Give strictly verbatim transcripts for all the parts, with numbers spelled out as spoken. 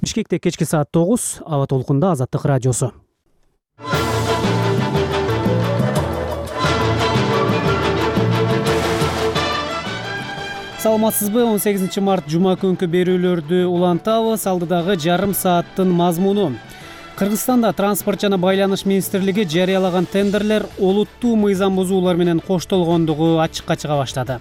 Бишкекте кечки саат тогуз, аба толкунда Азаттык радиосу. Саламатсызбы? он сегизинчи март жума күнкү берүүлөрдү улантабыз. Алдыдагы жарым сааттын мазмуну. Кыргызстанда транспорт жана байланыш министрлиги жарыялаган тендерлер олуттуу мыйзам бузуулар менен коштолгондугу ачыкка чыга баштады.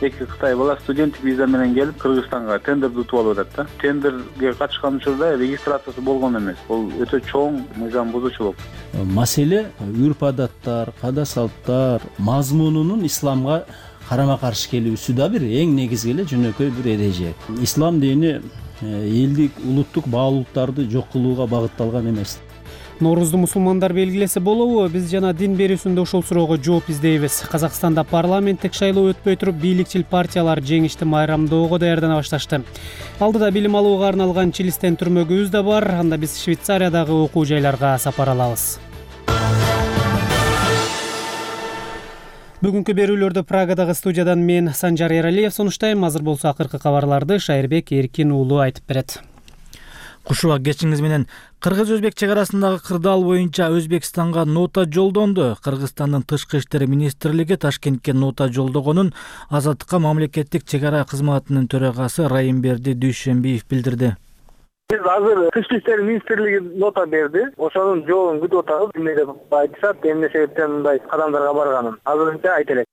Эки Кытай бала студенттик виза менен келип Кыргызстанга тендерди утуп алып атат да. Тендерге катышкан учурда регистрациясы болгон эмес. Бул өтө чоң мыйзам бузуучулук. Маселе үрп адаттар, када салттар мазмунунун исламга карама каршы келүүсү да бир эң негизги эле жөнөкөй бир эреже. Ислам дини элдик улуттук баалуулуктарды жок кылууга багытталган эмес. Ноорузду мусулмандар белгилесе болобу? Биз жана дин берүүсүндө ушул суроого жооп издейбиз. Казакстанда парламенттик шайлоо өтпөй туруп, бийликчил партиялар жеңишти майрамдоого даярдана башташты. Алдыда билим алууга арналган Чилистен түрмөгүбүз да бар. Анда биз Швейцариядагы окуу жайларга сапар алабыз. Бүгүнкү берүүлөрдү Прагадагы студиядан мен Санжар Эралиев сунуштайм. Азыр болсо акыркы кабарларды Шайырбек Эркин уулу айтып берет. Кушуба кечиңиз менен. Кыргыз-Өзбек чек арасындагы кырдаал боюнча Өзбекстанга нота жолдонду. Кыргызстандын тышкы иштер министрлиги Ташкентке нота жолдогонун Азаттыкка мамлекеттик чек ара кызматынын төрагасы Райымберди Дүйшөнбиев билдирди. Биз азыр тышкы иштер министрлиги нота берди. Ошонун жообун күтүп атабыз. Эмне деп айтышат, эмне себептен мындай кадамдарга барганын азырынча айта элек.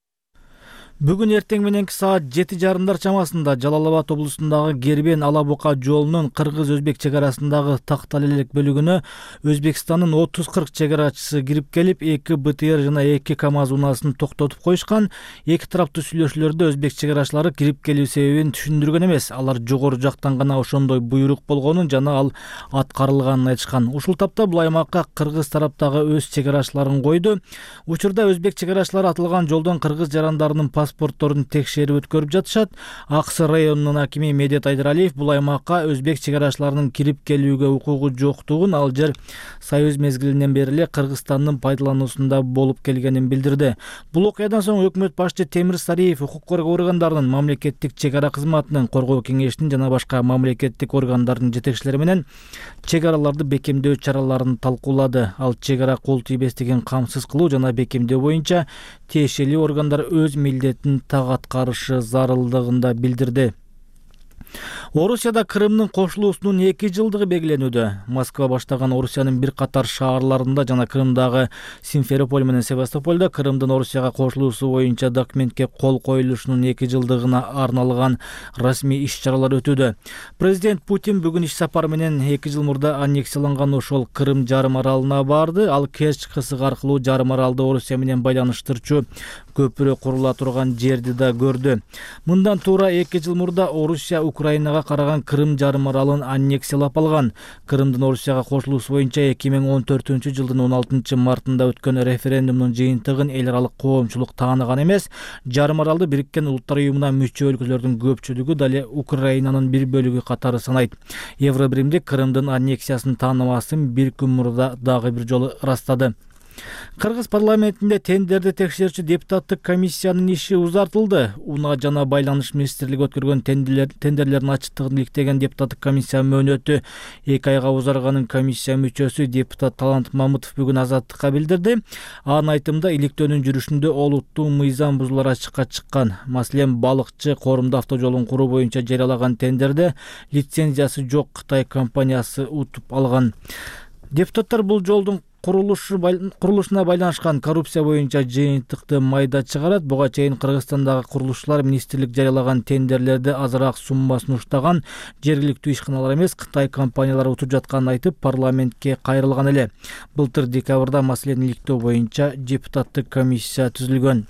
Бүгүн эртең мененки саат жети жарымдар чамасында Жалал Абад облусундагы Гербен Ала Бука жолунун Кыргыз-Өзбек чек арасындагы Тактал элек бөлүгүнө Өзбекстандын отуз кырк чек арачысы кирип келип, эки БТР жана эки КАМАЗ унаасын токтотуп коюшкан. Эки тараптуу сүйлөшүүлөрдө өзбек чек арачылары кирип келүү себебин түшүндүргөн эмес. Алар жогору жактан гана ошондой буйрук болгонун жана ал аткарылганын айтышкан. Ушул тапта бул аймакка кыргыз тараптагы өз чек арачыларын койду. Учурда өзбек чек арачылары атылган жолдон кыргыз жарандарынын паспортторун текшерип өткөрүп жатышат. Аксы районунун акими Медет Айдаралиев бул аймакка өзбек чек арачыларынын кирип келүүгө укугу жоктугун, ал жер Союз мезгилинен бери эле Кыргызстандын пайдалануусунда болуп келгенин билдирди. Бул окуядан соң өкмөт башчы Темир Сариев укук коргоо органдарынын, мамлекеттик чек ара кызматынын, коргоо кеңешинин жана башка мамлекеттик органдардын жетекчилери менен чек араларды бекемдөө чараларын талкуулады. Ал чек ара кол тийбестигин камсыз кылуу жана бекемдөө боюнча тиешелүү органдар өз милдетин так аткарышы зарылдыгында билдирди. Орусияда Крымдын кошулуусунун эки жылдыгы белгиленүүдө. Москва баштаган Орусиянын бир катар шаарларында жана Крымдагы Симферополь менен Севастопольдо Крымдын Орусияга кошулуусу боюнча документке кол коюлушунун эки жылдыгына арналган расмий иш-чаралар өтүүдө. Президент Путин бүгүн иш сапар менен эки жыл мурда аннексияланган ошол Крым жарым аралына барды. Ал Керчь кысыгы аркылуу жарым аралды Орусия менен байланыштырчу көпүрө курула турган жерди да көрдү. Мындан туура эки жыл мурда Орусия Украинага караган Крым жарым аралын аннексиялап алган. Крымдын Орусияга кошулуусу боюнча эки миң он төртүнчү жылдын он алтынчы мартында өткөн референдумдун жыйынтыгын эл аралык коомчулук тааныган эмес. Жарым аралды Бириккен Улуттар уюмуна мүчө өлкөлөрдүн көпчүлүгү дале Украинанын бир бөлүгү катары санайт. Евробиримдик Крымдын аннексиясын тааныбасын бир күн мурда дагы бир жолу ырастады. Кыргыз парламентинде тендерди текшерүүчү депутаттык комиссиянын иши узартылды. Унаа жана байланыш министрлиги өткөргөн тендерлердин ачыктыгын иликтеген депутаттык комиссия мөөнөтү эки айга узарганын комиссия мүчөсү депутат Талант Мамытов бүгүн Азаттыкка билдирди. Анын айтымында иликтөөнүн жүрүшүндө олуттуу мыйзам бузуулар ачыкка чыккан. Маселен, балыкчы Корумду автожолун куруу боюнча жарыялаган тендерде лицензиясы жок Кытай компаниясы утуп алган. Депутаттар бул жолдун курулушу курулушуна байланышкан коррупция боюнча жыйынтыкты майда чыгарат. Буга чейин Кыргызстандагы курулушчулар министрлик жарыялаган тендерлерди азыраак сумма сунуштаган, жергиликтүү ишканалар эмес Кытай компаниялары утуп жатканын айтып, парламентке кайрылган эле. Былтыр декабрда маселени иликтөө боюнча депутаттык комиссия түзүлгөн.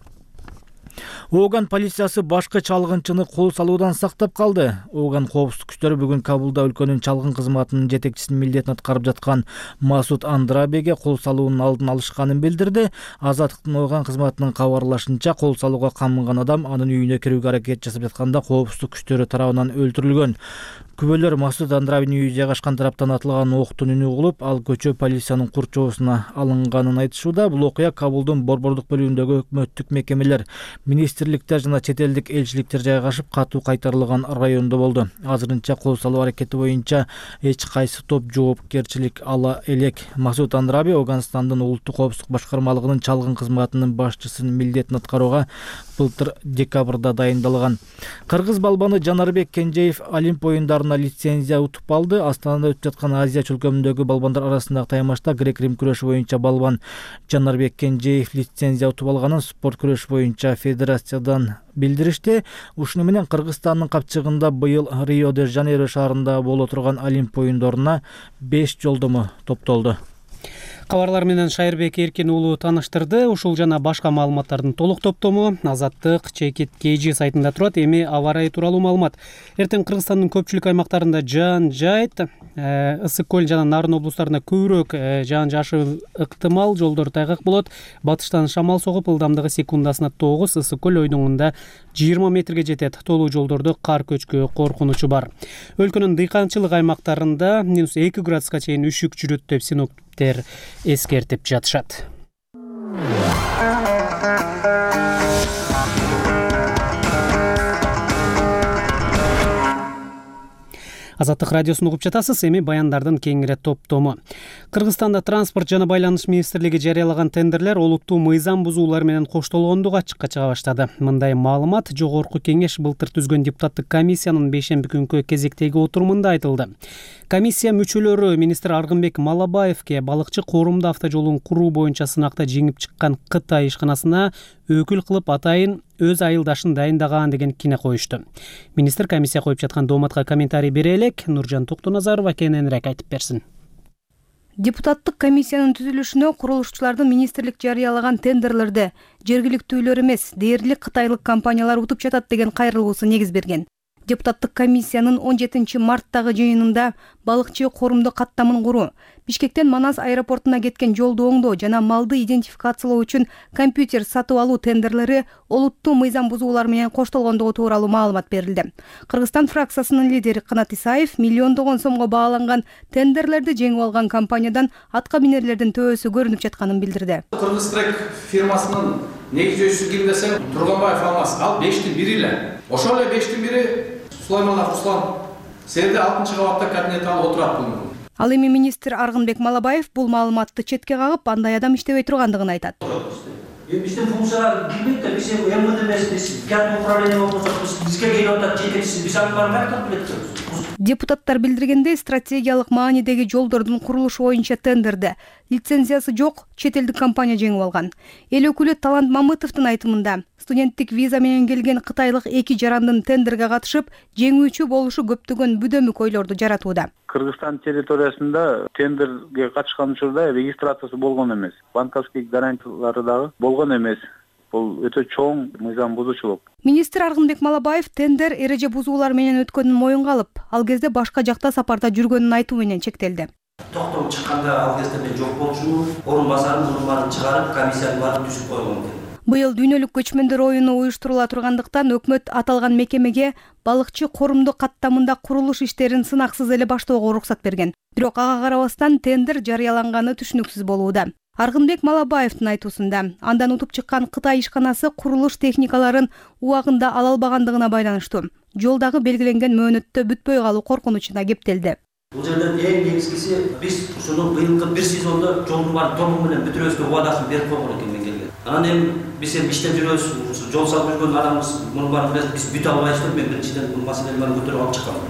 Ооган полициясы башкы чалгынчыны кол салуудан сактап калды. Ооган коопсуздук күчтөрү бүгүн Кабулда өлкөнүн чалгын кызматынын жетекчисинин милдетин аткарып жаткан Масуд Андрабеге кол салуунун алдын алышканын билдирди. Азаттыктын Ооган кызматынын кабарлашынча, кол салууга камынган адам анын үйүнө кирүүгө аракет жасап жатканда коопсуздук күчтөрү тарабынан өлтүрүлгөн. Күбөлөр Масуд Андрабинин үйү жайгашкан тараптан атылган октун үнү угулуп, ал көчө полициянын курчоосуна алынганын айтышууда. Бул окуя Кабулдун борбордук бөлүгүндөгү өкмөттүк мекемелер, министрликтер жана чет элдик элчиликтер жайгашып, катуу кайтарылган райондо болду. Азырынча кол салуу аракети боюнча эч кайсы топ жоопкерчилик ала элек. Масуд Андраби Афганистандын улуттук коопсуздук башкармалыгынын чалгын кызматынын башчысынын милдетин аткарууга былтыр декабрда дайындалган. Кыргыз балбаны Жанарбек Кенжеев Олимп оюндарына лицензия утуп алды. Астанада өтүп жаткан Азия чөлкөмүндөгү балбандар арасындагы таймашта грек-рим күрөшү боюнча балбан Жанарбек Кенжеев лицензия утуп алганын спорт күрөш боюнча федерациядан билдиришти. Ушуну менен Кыргызстандын капчыгында быйыл Рио-де-Жанейро шаарында боло турган Олимп оюндарына беш жолдомо топтолду. Кабарлар менен Шайырбек Эркин уулу тааныштырды. Ушул жана башка маалыматтардын толук топтому Азаттык Чекит Кежи сайтында турат. Эми аба ырайы тууралуу маалымат. Эртең Кыргызстандын көпчүлүк аймактарында жаан жайт, ысык көл жана Нарын облустарында көбүрөөк жаан жаашы ыктымал, жолдор тайгак болот. Батыштан шамал согуп, ылдамдыгы секундасына тогуз, ысык көл ойдоңунда жыйырма метрге жетет. Толуу жолдордо кар көчкү коркунучу бар. Өлкөнүн дыйканчылык аймактарында минус эки градуска чейин үшүк жүрөт деп синоптиктер эскертип жатышат. Азаттык радиосун угуп жатасыз. Эми баяндардын кеңири топтому. Кыргызстанда транспорт жана байланыш министрлиги жарыялаган тендерлер олуттуу мыйзам бузуулар менен коштолгондугу ачыкка чыга баштады. Мындай маалымат Жогорку Кеңеш былтыр түзгөн депутаттык комиссиянын бейшемби күнкү кезектеги отурумунда айтылды. Комиссия мүчөлөрү министр Аргынбек Малабаевке балыкчы коорумду автожолун куруу боюнча сынакта жеңип чыккан Кытай ишканасына өкүл кылып атайын өз айылдашын дайындаган деген кине коюшту. Министр комиссия коюп жаткан дооматка комментарий бере элек, Нуржан Токтоназарова кененирээк айтып берсин. Депутаттык комиссиянын түзүлүшүнө курулушчулардын министрлик жарыялаган тендерлерди жергиликтүүлөр эмес, дээрлик кытайлык компаниялар утуп жатат деген кайрылуусу негиз берген. Депутаттык комиссиянын он жетинчи марттагы жыйынында балыкчы коорумду каттамын куруу, Бишкектен Манас аэропортуна кеткен жолду оңдоо жана малды идентификациялоо үчүн компьютер сатып алуу тендерлери олуттуу мыйзам бузуулар менен коштолгондугу тууралуу маалымат берилди. Кыргызстан фракциясынын лидери Канат Исаев миллиондогон сомго бааланган тендерлерди жеңип алган компаниядан атка минерлердин төбөсү көрүнүп жатканын билдирди. Кыргызтрек фирмасынын негизчүсү ким десем, Турганбаев Алмаз. Ал бештин бири эле. Ошол эле бештин бири Сулайманов Руслан. Сенде алтынчы кабатта кабинет алып отурат бул. Ал эми министр Аргынбек Малабаев бул маалыматты четке кагып, андай адам иштебей тургандыгын айтат. Биздин функциялар билбейт да, биз эм вэ дэ эмес, кадр управление болсок, бизге келип атат жетекчиси, биз аны бармай билет. Депутаттар билдиргендей, стратегиялык маанидеги жолдордун курулушу боюнча тендерди лицензиясы жок чет элдик компания жеңип алган. Эл өкүлү Талант Мамытовдун айтымында, студенттик виза менен келген кытайлык эки жарандын тендерге катышып, жеңүүчү болушу көптөгөн бүдөмүк ойлорду жаратууда. Кыргызстан территориясында тендерге катышкан учурда регистрациясы болгон эмес, банковский гарантиялары дагы болгон эмес. Бул өтө чоң мыйзам бузуучулук. Министр Аргынбек Малабаев тендер эреже бузуулар менен өткөнүн моюнга алып, ал кезде башка жакта сапарда жүргөнүн айтуу менен чектелди. Токтом чыкканда ал кезде мен жок болчумун, орун басарым мунун баарын чыгарып, комиссияны барып түзүп койгон экен. Быйыл дүйнөлүк көчмөндөр оюну уюштурула тургандыктан өкмөт аталган мекемеге балыкчы коорумду каттамында курулуш иштерин сынаксыз эле баштоого уруксат берген. Бирок ага карабастан тендер жарыяланганы түшүнүксүз болууда. Аргынбек Малабаевдин айтуусунда, андан утуп чыккан Кытай ишканасы курулуш техникаларын убагында ала албагандыгына байланыштуу. Жолдагы белгиленген мөөнөттө бүтпөй калуу коркунучуна кептелди. Бул жерден эң негизгиси биз ушуну быйылкы бир сезондо жолдун баарын толугу менен бүтүрөбүзгө убадасын берип койгон экен мен келген. Анан эми биз эми иштеп жүрөбүз, жол салып жүргөн адамыбыз мунун баарын билет, биз бүтө албайбыз. Мен биринчиден бул маселени көтөрүп алып чыккам.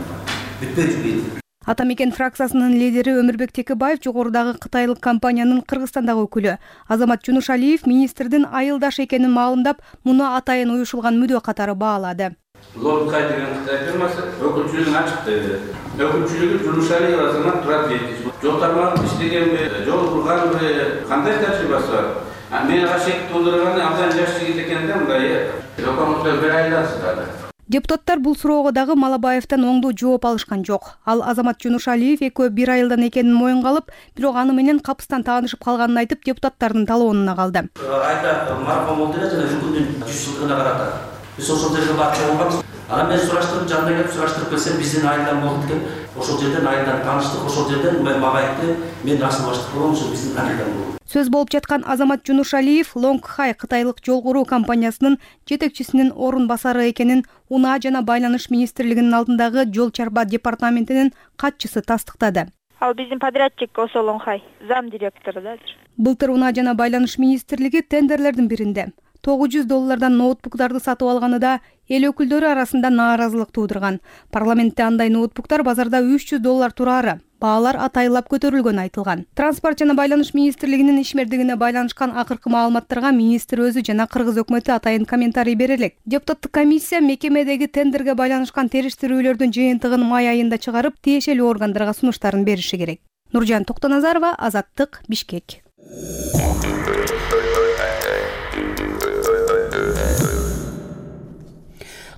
Бүтпөй жүрбөйт. Ата мекен фракциясынын лидери Өмүрбек Текебаев жогорудагы кытайлык компаниянын Кыргызстандагы өкүлү Азамат Жунушалиев министрдин айылдаш экенин маалымдап, муну атайын уюшулган мүдө катары баалады. Лонкай деген Кытай фирмасы өкүлчүлүгүн ачыкты. Өкүлчүлүгү Жунушалиев Азамат Туратбеков. Жол тармагын иштегенби, жол курганбы, кандай тажрыйбасы бар? Мен ашек туудурганы абдан жаш жигит экен да, мындай өкмөттө бир айдан сытады. Депутаттар бул суроого дагы Малабаевден оңдуу жооп алышкан жок. Ал Азамат Жунушалиев экөө бир айылдан экенин моюнга алып, бирок аны менен капыстан таанышып калганын айтып, депутаттардын талоонуна калды. Айта марафон болду эле жана үкүмдүн жүз жылдыгына карата. Биз ошол жерге барып чогулганбыз. Анан мен сураштырып, жанына келип сураштырып келсем, биздин айылдан болду экен. Ошол жерден айылдан тааныштык, ошол жерден мен мага айтты, мен асыл баштык болом, ошо биздин айылдан болду. Сөз болуп жаткан Азамат Жунушалиев Лонгхай кытайлык жол куруу компаниясынын жетекчисинин орун басары экенин Унаа жана байланыш министрлигинин алдындагы жол чарба департаментинин катчысы тастыктады. Ал биздин подрядчик Осо Лонгхай, зам директору да. Былтыр Унаа жана байланыш министрлиги тендерлердин биринде тогуз жүз доллардан ноутбуктарды сатып алганы да эл өкүлдөрү арасында нааразылык туудурган. Парламентте андай ноутбуктар базарда үч жүз доллар турары. Баалар атайылап көтөрүлгөнү айтылган. Транспорт жана байланыш министрлигинин ишмердигине байланышкан акыркы маалыматтарга министр өзү жана кыргыз өкмөтү атайын комментарий бере элек. Депутаттык комиссия мекемедеги тендерге байланышкан териштирүүлөрдүн жыйынтыгын май айында чыгарып, тиешелүү органдарга сунуштарын бериши керек. Нуржан Токтоназарова, Азаттык, Бишкек.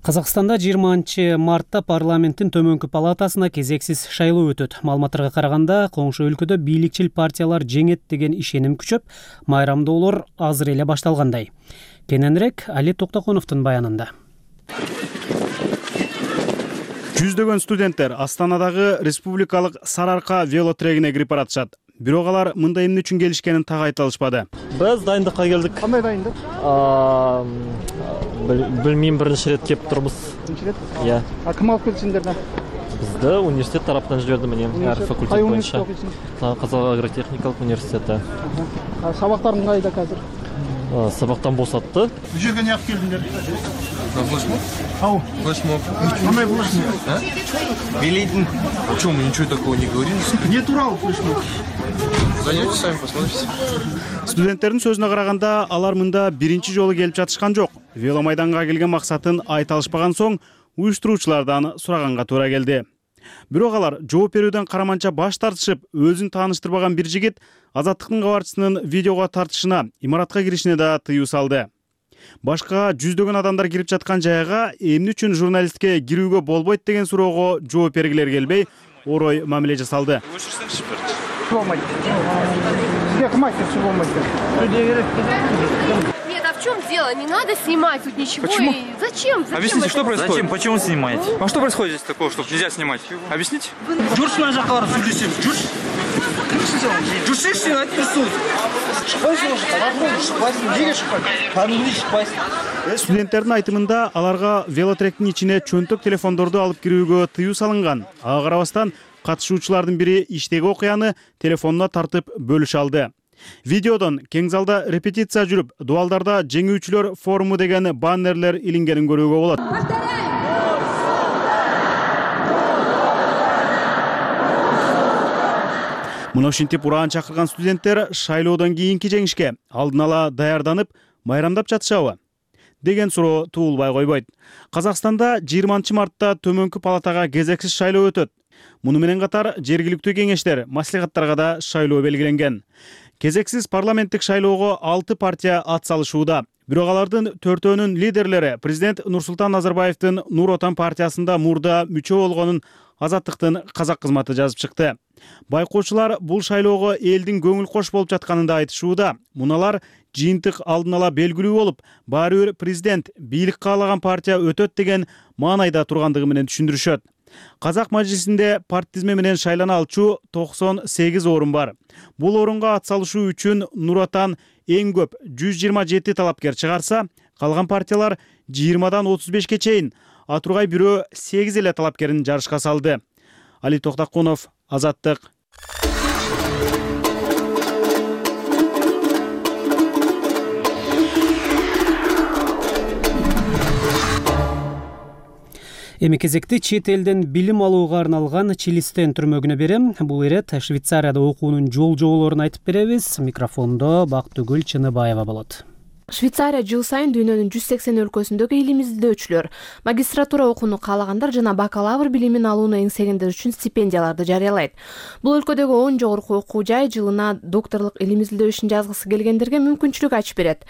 Казакстанда жыйырманчы мартта парламенттин төмөнкү палатасына кезексиз шайлоо өтөт. Маалыматтарга караганда, коңшу өлкөдө бийликчил партиялар жеңет деген ишеним күчөп, майрамдоолор азыр эле башталгандай. Кененирээк Али Токтоконовдун баянында. Жүздөгөн студенттер Астанадагы республикалык Сарыарка велотрегине кирип баратышат. Бирок алар мындай эмне үчүн келишкенин так айта алышпады. Биз дайындыкка келдик. Кандай дайындык? Билмейм, биринчи рет кеп турбуз. Биринчи рет? Иә. А ким алып келди сиздерди? Бизди университет тараптан жиберди, менен ар факультет боюнча. Казак агротехникалык университети. Сабактарың кайда азыр? Сабактан босатты. Бул жерге эмне алып келдиңер? На флешмоб? Ау. Флешмоб. Кандай флешмоб? Билейтин. О чем мы ничего такого не говорили? Не турал флешмоб. Зайдете сами, посмотрите. Студенттердин сөзүнө караганда, алар мында биринчи жолу келип жатышкан жок. Веломайданга келген максатын айта алышпаган соң, уюштуруучулардан сураганга туура келди. Бирок алар жооп берүүдөн караманча баш тартышып, өзүн тааныштырбаган бир жигит Азаттыктын кабарчысынын видеого тартышына, имаратка киришине да тыюу салды. Башка жүздөгөн адамдар кирип жаткан жайга эмне үчүн журналистке кирүүгө болбойт деген суроого жооп бергилер келбей, орой мамиле жасалды. Нет, а в чем дело? Не надо снимать тут ничего. Почему? И зачем? Зачем? Объясните, что происходит? Зачем? Почему снимаете? А что происходит здесь такого, чтобы нельзя снимать? Объясните? Жүрш мына жакка барып сүйлөшөм. Жүрш. Жүрсеңши, айтып турсуңуз. Шықпайсың, шықпайсың. Неге шықпайсың? Кәдімгідей шықпайсың. Студенттердин айтымында аларга велотректин ичине чөнтөк телефондорду алып кирүүгө тыюу салынган. Ага карабастан катышуучулардын бири иштеги окуяны телефонуна тартып бөлүшө алды. Видеодон кең залда репетиция жүрүп, дуалдарда жеңүүчүлөр форуму деген баннерлер илингенин көрүүгө болот. Мына ушинтип ураан чакырган студенттер шайлоодон кийинки жеңишке алдын ала даярданып, майрамдап жатышабы деген суроо туулбай койбойт. Казакстанда жыйырманчы мартта төмөнкү палатага кезексиз шайлоо өтөт. Муну менен катар жергиликтүү кеңештер, маслихаттарга да шайлоо белгиленген. Кезексиз парламенттик шайлоого алты партия ат салышууда. Бирок алардын төртөөнүн лидерлери президент Нурсултан Назарбаевдин Нур Отан партиясында мурда мүчө болгонун Азаттыктын казак кызматы жазып чыкты. Байкоочулар бул шайлоого элдин көңүл кош болуп жатканын да айтышууда. Муналар жыйынтык алдын ала белгилүү болуп, баары бир президент бийлик каалаган партия өтөт деген маанайда тургандыгы менен түшүндүрүшөт. Казак мажлисинде парт тизме менен шайлана алчу токсон сегиз орун бар. Бул орунга ат салышуу үчүн Нур Отан эң көп жүз жыйырма жети талапкер чыгарса, калган партиялар жыйырмадан отуз бешке чейин, а тургай бирөө сегиз эле талапкерин жарышка салды. Али Токтоконов, Азаттык. Эми кезекти чет элден билим алууга арналган Чилистен түрмөгүнө берем. Бул ирет Швейцарияда окуунун жол жоболорун айтып беребиз. Микрофондо Бактыгүл Чыныбаева болот. Швейцария жыл сайын дүйнөнүн жүз сексен өлкөсүндөгү илим изилдөөчүлөр, магистратура окууну каалагандар жана бакалавр билимин алууну эңсегендер үчүн стипендияларды жарыялайт. Бул өлкөдөгү он жогорку окуу жай жылына докторлук илим изилдөө ишин жазгысы келгендерге мүмкүнчүлүк ачып берет.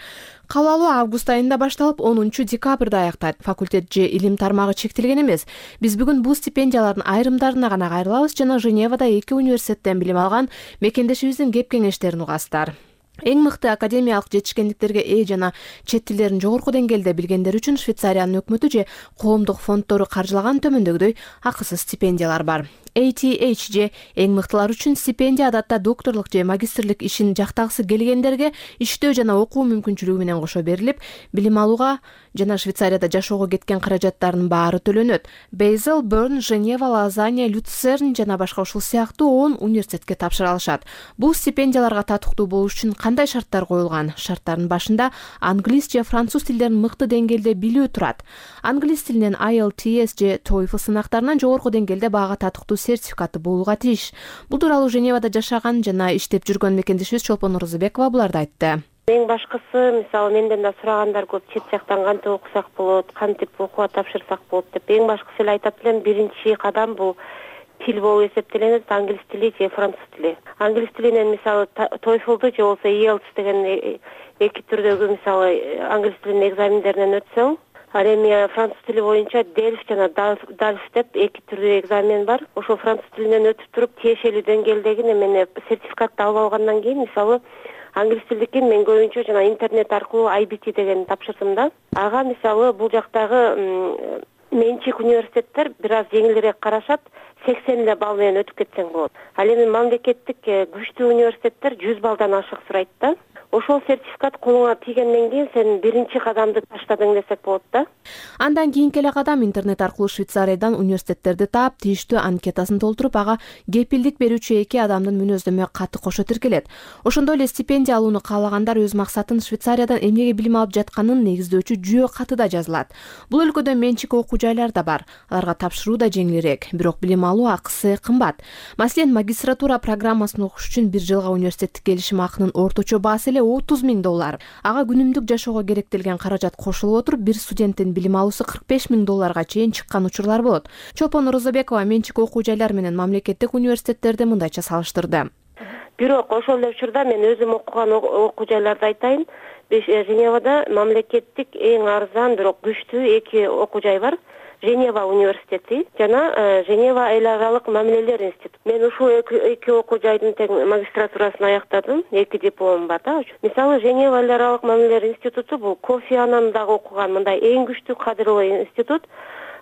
Кабыл алуу август айында башталып, онунчу декабрда аяктайт. Факультет же илим тармагы чектелген эмес. Биз бүгүн бул стипендиялардын айрымдарына гана кайрылабыз жана Женевада эки университеттен билим алган мекендешибиздин кеп кеңештерин угасыздар. Эң мыкты академиялык жетишкендиктерге ээ жана чет тилдерин жогорку деңгээлде билгендер үчүн Швейцариянын өкмөтү же коомдук фонддору каржылаган төмөндөгүдөй акысыз стипендиялар бар. A T H же эң мыктылар үчүн стипендия адатта докторлук же магистрлик ишин жактагысы келгендерге иштөө жана окуу мүмкүнчүлүгү менен кошо берилип, билим алууга жана Швейцарияда жашоого кеткен каражаттардын баары төлөнөт. Бейзел, Берн, Женева, Лозанна, Люцерн жана башка ушул сыяктуу он университетке тапшыра алышат. Бул стипендияларга татыктуу болуш үчүн кандай шарттар коюлган? Шарттардын башында англис же француз тилдерин мыкты деңгээлде билүү турат. Англис тилинен I E L T S же TOEFL сынактарынан жогорку деңгээлде баага татыктуу сертификаты болууга тийиш. Бул тууралуу Женевада жашаган жана иштеп жүргөн мекендешибиз Чолпон Орозобекова буларды айтты. Эң башкысы, мисалы, менден да сурагандар көп, чет жактан кантип окусак болот, кантип окууга тапшырсак болот деп. Эң башкысы эле айтат элем, биринчи кадам бул тил болуп эсептелет, англис тили же француз тили. Англис тилинен мисалы TOEFL-ду же болбосо I E L T S деген эки түрдөгү мисалы англис тилинин экзамендеринен өтсөң, ал эми француз тили боюнча Дельф жана Дальф деп эки түрдүү экзамен бар. Ошол француз тилинен өтүп туруп, тиешелүү деңгээлдеги немени сертификатты алып алгандан кийин, мисалы, англис тилдикин мен көбүнчө жана интернет аркылуу I B T деген тапшырдым да. Ага мисалы бул жактагы менчик университеттер бир аз жеңилирээк карашат, сексен эле балл менен өтүп кетсең болот. Ал эми мамлекеттик күчтүү университеттер жүз баллдан ашык сурайт да. Ошол сертификат колуңа тийгенден кийин сен биринчи кадамды таштадың десек болот да. Андан кийинки эле кадам интернет аркылуу Швейцариядан университеттерди таап, тийиштүү анкетасын толтуруп, ага кепилдик берүүчү эки адамдын мүнөздөмө каты кошо тиркелет. Ошондой эле стипендия алууну каалагандар өз максатын Швейцариядан эмнеге билим алып жатканын негиздөөчү жүйө катыда жазылат. Бул өлкөдө менчик окуу жайлар да бар. Аларга тапшыруу да жеңилирээк, бирок билим алуу акысы кымбат. Маселен, магистратура программасын окуш үчүн бир жылга университеттик келишим акынын орточо баасы эле отуз миң доллар. Ага күнүмдүк жашоого керектелген каражат кошулуп отуруп, бир студенттин билим алуусу кырк беш миң долларга чейин чыккан учурлар болот. Чолпон Орозобекова менчик окуу жайлар менен мамлекеттик университеттерди мындайча салыштырды. Бирок ошол эле учурда мен өзүм окуган окуу жайларды айтайын. Женевада мамлекеттик эң арзан, бирок күчтүү эки окуу жай бар. Женева университети жана Женева эл аралык мамилелер институту. Мен ушул эки окуу жайдын тең магистратурасын аяктадым, эки дипломум бар да. Мисалы, Женева эл аралык мамилелер институту бул Кофи Аннан дагы окуган мындай эң күчтүү кадрлуу институт.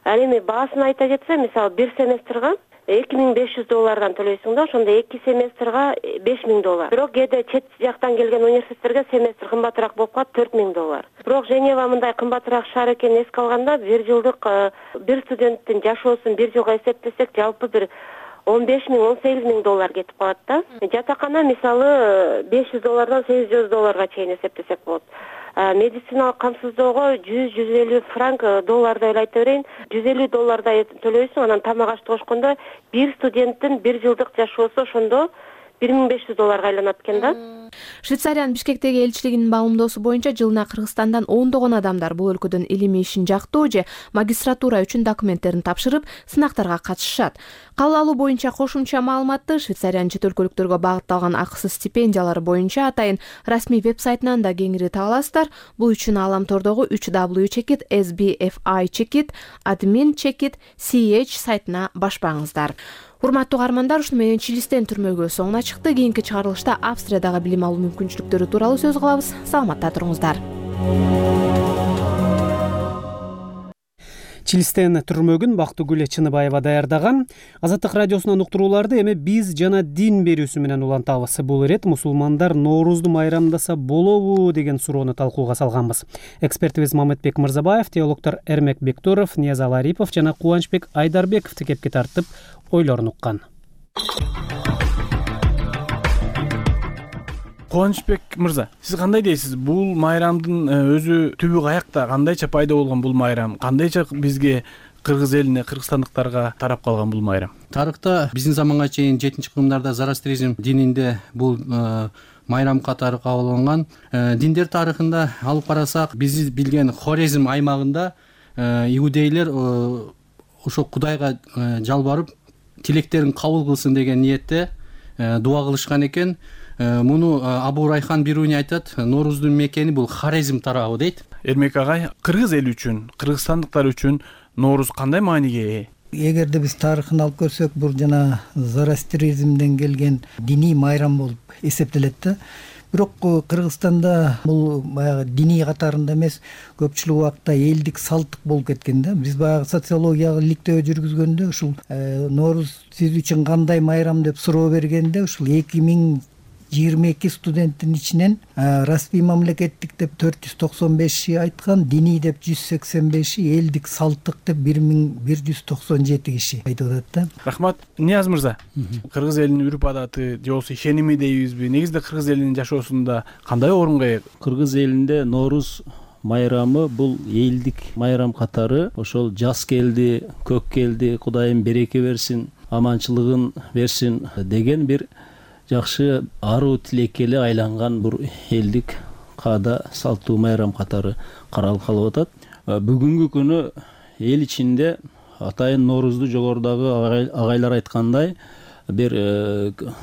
Ал эми баасын айта кетсе, мисалы, бир семестрга эки миң беш жүз доллардан төлөйсүң да, ошондо эки семестрга беш миң доллар. Бирок кээде чет жактан келген университеттерге семестр кымбатыраак болуп калат, төрт миң доллар. Бирок Женева мындай кымбатыраак шаар экенин эске алганда, бир жылдык бир студенттин жашоосун бир жылга эсептесек, жалпы бир он беш миң он сегиз миң доллар кетип калат да. Жатакана мисалы беш жүз доллардан сегиз жүз долларга чейин эсептесек болот. Медициналык камсыздоого жүз жүз элүү франк доллардай эле айта берейин, жүз элүү доллардай төлөйсүң, анан тамак ашты кошкондо бир студенттин бир жылдык жашоосу ошондо бир миң беш жүз долларга айланат экен да. Швейцариянын Бишкектеги элчилигинин маалымдоосу боюнча жылына Кыргызстандан ондогон адамдар бул өлкөдөн илимий ишин жактоо же магистратура үчүн документтерин тапшырып, сынактарга катышышат. Кабыл алуу боюнча кошумча маалыматты Швейцариянын чет өлкөлүктөргө багытталган акысыз стипендиялары боюнча атайын расмий веб-сайтынан да кеңири таба аласыздар. Бул үчүн ааламтордогу үч дабл ю чекит эс би эф ай чекит админ чекит си эйч сайтына башпаңыздар. Урматтуу каармандар, ушуну менен Чилистен түрмөгө соңуна чыкты. Кийинки чыгарылышта Австриядагы билим алуу мүмкүнчүлүктөрү тууралуу сөз кылабыз. Саламатта туруңуздар. Чилистен түрмөгүн Бактыгүл Чыныбаева даярдаган. Азаттык радиосунан уктурууларды эми биз жана дин берүүсү менен улантабыз. Бул ирет мусулмандар Ноорузду майрамдаса болобу деген суроону талкууга салганбыз. Экспертибиз Мамытбек Мырзабаев, теологдор Эрмек Бекторов, Ниязал Арипов жана Кубанычбек Айдарбеков кепке тартып ойлорун уккан. Кубанычбек мырза, сиз кандай дейсиз? Бул майрамдын өзү түбү каякта, кандайча пайда болгон бул майрам? Кандайча бизге, кыргыз элине, кыргызстандыктарга тарап калган бул майрам? Тарыхта биздин заманга чейин жетинчи кылымдарда Зарастризм дининде бул майрам катары кабыл алынган. Диндер тарыхында алып карасак, биз билген Хорезм аймагында иудейлер ошо Кудайга жалбарып, тилектерин кабыл кылсын деген ниетте дуа кылышкан экен. Муну Абу Райхан Бируни айтат, Норуздун мекени бул Хорезм тарабы дейт. Эрмек агай, кыргыз эли үчүн, кыргызстандыктар үчүн Норуз кандай мааниге ээ? Эгерде биз тарыхын алып көрсөк, бул жана Зарастризмден келген диний майрам болуп эсептелет да. бирок Кыргызстанда бул баягы диний катарында эмес, көпчүлүк убакта элдик салттык болуп кеткен да. Биз баягы социологиялык иликтөө жүргүзгөндө ушул Нооруз сиз үчүн кандай майрам деп суроо бергенде ушул эки миң жыйырма эки студенттин ичинен расмий мамлекеттик деп төрт жүз токсон беши айткан, диний деп жүз сексен беши, элдик салттык деп бир миң бир жүз токсон жети киши айтып атат да. Рахмат. Нияз мырза, кыргыз элинин үрп адаты же болбосо ишеними дейбизби, негизинде кыргыз элинин жашоосунда кандай орунга ээ? Кыргыз элинде Нооруз майрамы бул элдик майрам катары. Ошол жаз келди, көк келди, Кудайым береке берсин, аманчылыгын берсин деген бир жакшы аруу тилекке эле айланган бир элдик каада салттуу майрам катары каралып калып атат. Бүгүнкү күнү эл ичинде атайын Ноорузду жогорудагы агайлар айткандай бир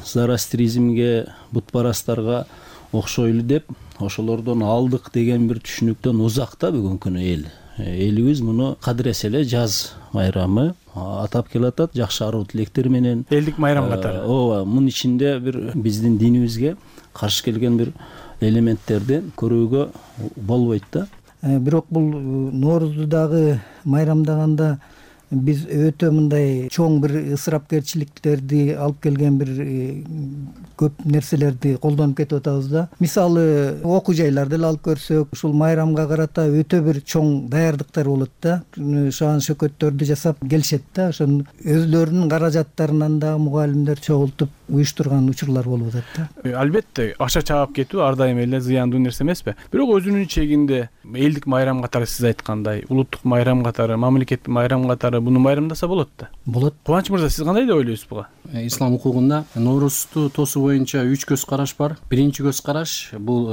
зарастризмге, бутпарастарга окшойлу деп ошолордон алдык деген бир түшүнүктөн узакта бүгүнкү күнү эл. Элибиз муну кадыресе эле жаз майрамы атап келатат, жакшы аруу тилектер менен. Элдик майрам катары. Ооба, мунун ичинде бир биздин динибизге каршы келген бир элементтерди көрүүгө болбойт да. Бирок бул Ноорузду дагы майрамдаганда биз өтө мындай чоң бир ысырапкерчиликтерди алып келген бир көп нерселерди колдонуп кетип атабыз да. Мисалы, окуу жайларды эле алып көрсөк, ушул майрамга карата өтө бир чоң даярдыктар болот да. Шаан шөкөттөрдү жасап келишет да. Ошон өзлөрүнүн каражаттарынан да мугалимдер чогултуп уюштурган учурлар болуп атат да. Албетте, акча чаап кетүү ар дайым эле зыяндуу нерсе эмеспи? Бирок өзүнүн чегинде элдик майрам катары сиз айткандай, улуттук майрам катары, мамлекеттик майрам катары буну майрамдаса болот да. Болот. Кубаныч мырза, сиз кандай деп ойлойсуз буга? Ислам укугунда Ноорузду тосуу боюнча үч көз караш бар. Биринчи көз караш бул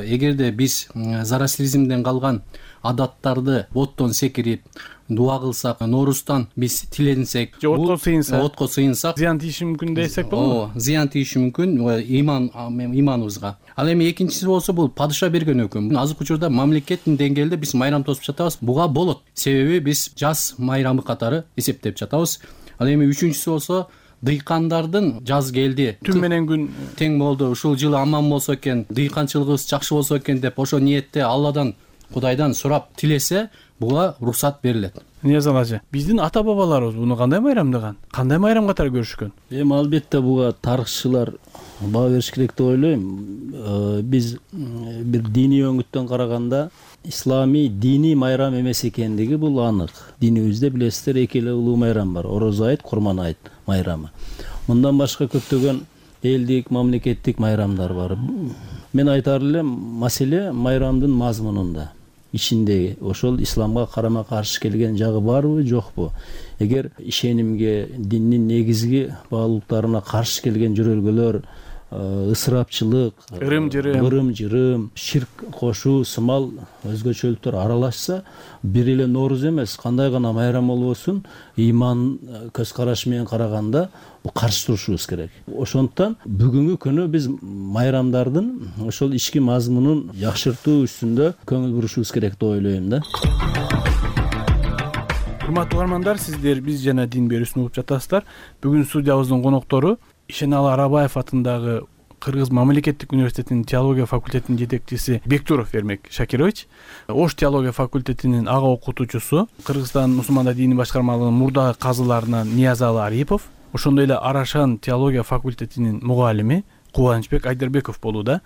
эгерде биз зарастризмден калган адаттарды оттон секирип дуа кылсак, Нооруздан биз тиленсек, же отко сыйынсак, отко сыйынсак, зыян тийиши мүмкүн десек болобу? Ооба, зыян тийиши мүмкүн иман иманыбызга. Ал эми экинчиси болсо бул падыша берген өкүм. Азыркы учурда мамлекеттин деңгээлде биз майрам тосуп жатабыз. Буга болот. Себеби биз жаз майрамы катары эсептеп жатабыз. Ал эми үчүнчүсү болсо дыйкандардын жаз келди, түн менен күн тең болду, ушул жылы аман болсо экен, дыйканчылыгыбыз жакшы болсо экен деп ошо ниетте Алладан, Кудайдан сурап тилесе, буга уруксат берилет. Нияз ажы, биздин ата бабаларыбыз буну кандай майрамдаган? Кандай майрам катары көрүшкөн? Эми албетте буга тарыхчылар баа бериш керек деп ойлойм. Биз бир диний өңүттөн караганда ислами диний майрам эмес экендиги бул анык. Динибизде билесиздер эки эле улуу майрам бар: Орозо айт, Курман айт майрамы. Мындан башка көптөгөн элдик, мамлекеттик майрамдар бар. Мен айтар элем, маселе майрамдын мазмунунда. Ичинде ошол исламга карама каршы келген жагы барбы, жокпу? Эгер ишенимге, диндин негизги баалуулуктарына каршы келген жөрөлгөлөр, ысырапчылык, ырым-жырым, ырым-жырым, ширк кошуу сымал өзгөчөлүктөр аралашса, бир эле Нооруз эмес, кандай гана майрам болбосун, иман көз карашы менен караганда каршы турушубуз керек. Ошондуктан бүгүнкү күнү биз майрамдардын ошол ички мазмунун жакшыртуу үстүндө көңүл бурушубуз керек деп ойлойм да. Урматтуу угармандар, сиздер биз жана дин берүүсүн угуп жатасыздар. Бүгүн студиябыздын коноктору Ишеналы Арабаев атындагы Кыргыз мамлекеттик университетинин теология факультетинин жетекчиси Бектуров Эрмек Шакирович, Ош теология факультетинин ага окутуучусу, Кыргызстан мусулмандар дини башкармалыгынын мурдагы казыларынан Ниязалы Арипов, ошондой эле Арашан теология факультетинин мугалими Кубанычбек Айдарбеков болууда.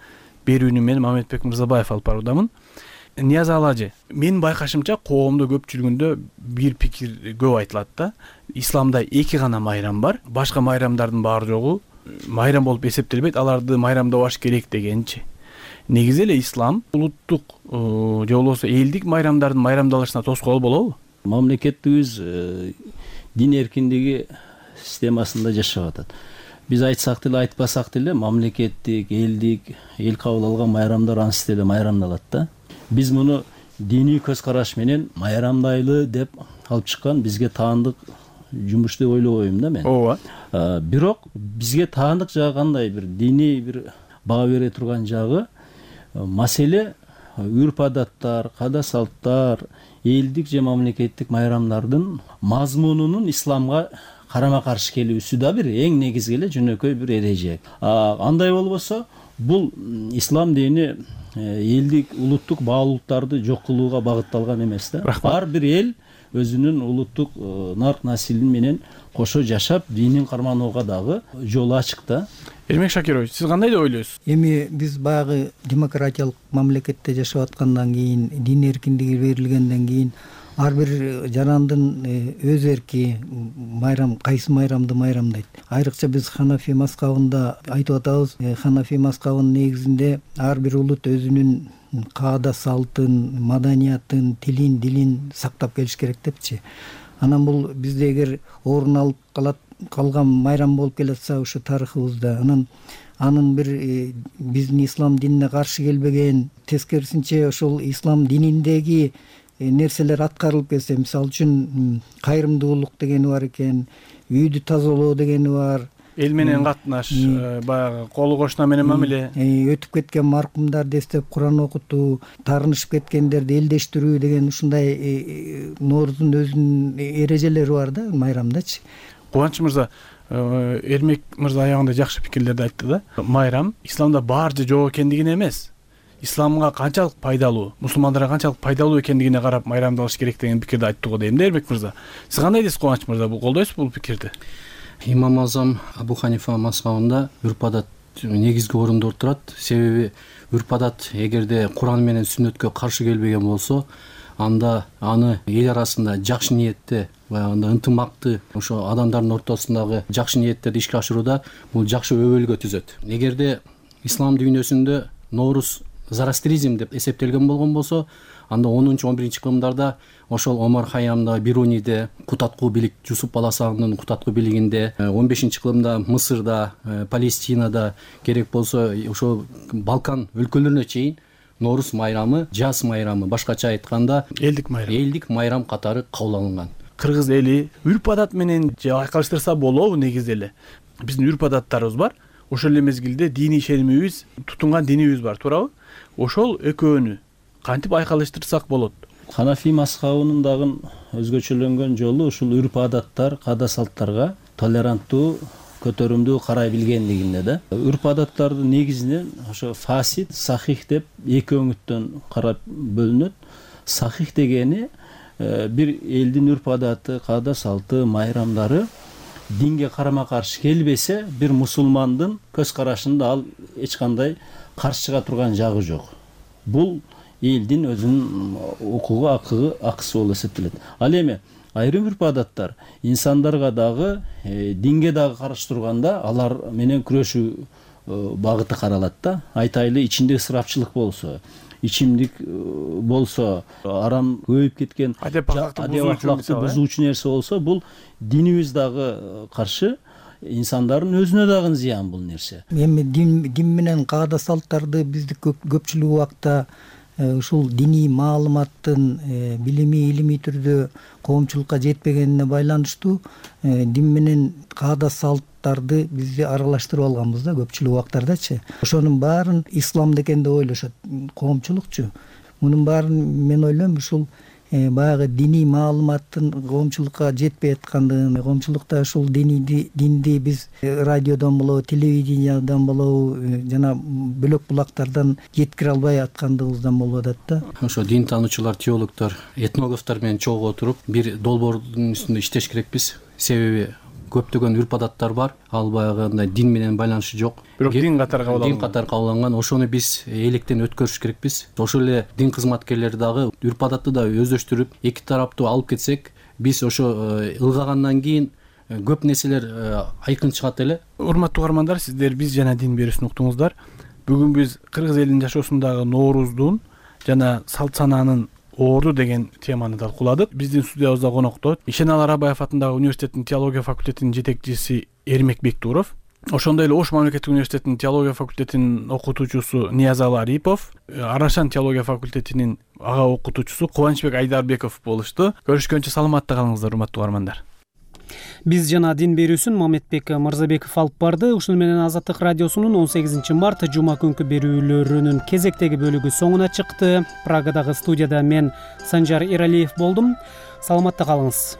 Берүүнү мен Мамедбек Мырзабаев алып баруудамын. Ниязалы ажы, менин байкашымча коомдо көпчүлүгүндө бир пикир көп айтылат да. Исламда эки гана майрам бар, башка майрамдардын баары жогу майрам болуп эсептелбейт, аларды майрамдабаш керек дегенчи. Негизи эле ислам улуттук же болбосо элдик майрамдардын майрамдалышына тоскоол болобу? Мамлекетибиз дин эркиндиги системасында жашап атат. Биз айтсак деле айтпасак деле мамлекеттик, элдик, эл кабыл алган майрамдар ансыз деле майрамдалат да. Биз муну диний көз караш менен майрамдайлы деп алып чыккан бизге таандык жумуш деп ойлобойм да мен. Ооба. Бирок бизге таандык жагы кандай, бир диний бир баа бере турган жагы маселе үрп адаттар, каада салттар, элдик же мамлекеттик майрамдардын мазмунунун исламга карама каршы келүүсү да бир эң негизги эле жөнөкөй бир эреже. Андай болбосо бул ислам дини элдик улуттук баалуулуктарды жок кылууга багытталган эмес да. Ар бир эл өзүнүн улуттук нарк насилин менен кошо жашап динин карманууга дагы жолу ачык да. Эрмек Шакирович, сиз кандай деп ойлойсуз? Эми биз баягы демократиялык мамлекетте жашап аткандан кийин, дин эркиндиги берилгенден кийин ар бир жарандын өз эрки, майрам кайсы майрамды майрамдайт. Айрыкча биз Ханафи мазхабында айтып атабыз, Ханафи мазхабынын негизинде ар бир улут өзүнүн каада салтын, маданиятын, тилин, дилин сактап келиш керек депчи. Анан бул бизде эгер орун алып калат калган майрам болуп келатса ушу тарыхыбызда, анан анын бир биздин ислам динине каршы келбеген, тескерисинче ошол ислам дининдеги нерселер аткарылып келсе, мисалы үчүн кайрымдуулук дегени бар экен, үйдү тазалоо дегени бар, эл менен катнаш, баягы колу кошуна менен мамиле, өтүп кеткен маркумдарды эстеп Куран окутуу, таарынышып кеткендерди элдештирүү деген ушундай Ноорудун өзүнүн эрежелери бар да майрамдачы. Кубаныч мырза, Эрмек мырза аягында жакшы пикирлерди айтты да. Майрам исламда бар же жок экендигине эмес, исламга канчалык пайдалуу, мусулмандарга канчалык пайдалуу экендигине карап майрамдалыш керек деген пикирди айтты го дейм да Эрмек мырза. Сиз кандай дейсиз Кубаныч мырза, бул колдойсузбу бул пикирди? Имам Азам Абу Ханифа мазхабында үрп-адат негизги орунда отурат. Себеби үрп-адат эгерде Куран менен сүннөткө каршы келбеген болсо, анда аны эл арасында жакшы ниетте, баягында ынтымакты, ошо адамдардын ортосундагы жакшы ниеттерди ишке ашырууда бул жакшы өбөлгө түзөт. Эгерде ислам дүйнөсүндө Ноорус зарастризм деп эсептелген болгон болсо, анда онунчу он биринчи кылымдарда ошол Омар Хайямда, Бируниде, Кутаткуу билик, Жусуп Баласагындын Кутаткуу билигинде, он бешинчи кылымда Мысырда, Палестинада, керек болсо ошо Балкан өлкөлөрүнө чейин Ноорус майрамы, жаз майрамы, башкача айтканда элдик майрам, элдик майрам катары кабыл алынган. Кыргыз эли үрп-адат менен же айкалыштырса болобу негизи эле. Биздин үрп-адаттарыбыз бар, ошол эле мезгилде диний ишенимибиз, тутунган динибиз бар, туурабы? Ошол экөөнү кантип айкалыштырсак болот? Ханафи мазхабынын дагы өзгөчөлөнгөн жолу ушул үрп-адаттар, каада салттарга толеранттуу, көтөрүмдүү карай билгендигинде да. Үрп-адаттардын негизинен ошо фасид, сахих деп эки өңүттөн карап бөлүнөт. Сахих дегени бир элдин үрп-адаты, каада салты, майрамдары динге карама каршы келбесе, бир мусулмандын көз карашында ал эч кандай каршы чыга турган жагы жок. Бул элдин өзүнүн укугу, акыгы, акысы болуп эсептелет. Ал эми айрым үрп-адаттар инсандарга дагы, динге дагы каршы турганда алар менен күрөшүү багыты каралат да. Айтайлы, ичинде ысырапчылык болсо, ичимдик болсо, арам көбөйүп кеткен адеп акылакты бузуучу нерсе болсо, бул динибиз дагы каршы, инсандардын өзүнө дагы зыян бул нерсе. Эми дин дин менен каада салттарды бизди көпчүлүк убакта ушул диний маалыматтын билими, илимий түрдө коомчулукка жетпегенине байланыштуу дин менен каада салттарды бизди аралаштырып алганбыз да көпчүлүк убактардачы. Ошонун баарын ислам экен деп ойлошот коомчулукчу. Мунун баарын мен ойлойм ушул баягы диний маалыматтын коомчулукка жетпей аткандыгын, коомчулукта ушул динди динди биз радиодон болобу, телевидениядан болобу, жана бөлөк булактардан жеткире албай аткандыгыбыздан болуп атат да. Ошо дин таануучулар, теологдор, этнографтар менен чогуу отуруп бир долбоордун үстүндө иштеш керекпиз. Себеби көптөгөн үрп-адаттар бар, ал баягындай дин менен байланышы жок. Бирок дин катары кабыл алынган. Дин катары кабыл алынган. Ошону биз электен өткөрүш керекпиз. Ошол эле дин кызматкерлери дагы үрп-адатты да өздөштүрүп, эки тараптуу алып кетсек, биз ошо ылгагандан кийин көп нерселер айкын чыгат эле. Урматтуу угармандар, сиздер биз жана дин берүүсүн уктуңуздар. Бүгүн биз кыргыз элинин жашоосундагы Нооруздун жана салт санаанын орду деген теманы талкууладык. Биздин студиябызда конокто Ишеналы Арабаев атындагы университеттин теология факультетинин жетекчиси Эрмек Бектуров, ошондой эле Ош мамлекеттик университетинин теология факультетинин окутуучусу Ниязалы Арипов, Арашан теология факультетинин ага окутуучусу Кубанычбек Айдарбеков болушту. Көрүшкөнчө саламатта калыңыздар, урматтуу угармандар. Биз жана дин берүүсүн Мамедбек Мырзабеков алып барды. Ушуну менен Азаттык радиосунун он сегизинчи март жума күнкү берүүлөрүнүн кезектеги бөлүгү соңуна чыкты. Прагадагы студияда мен Санжар Эралиев болдум. Саламатта калыңыз.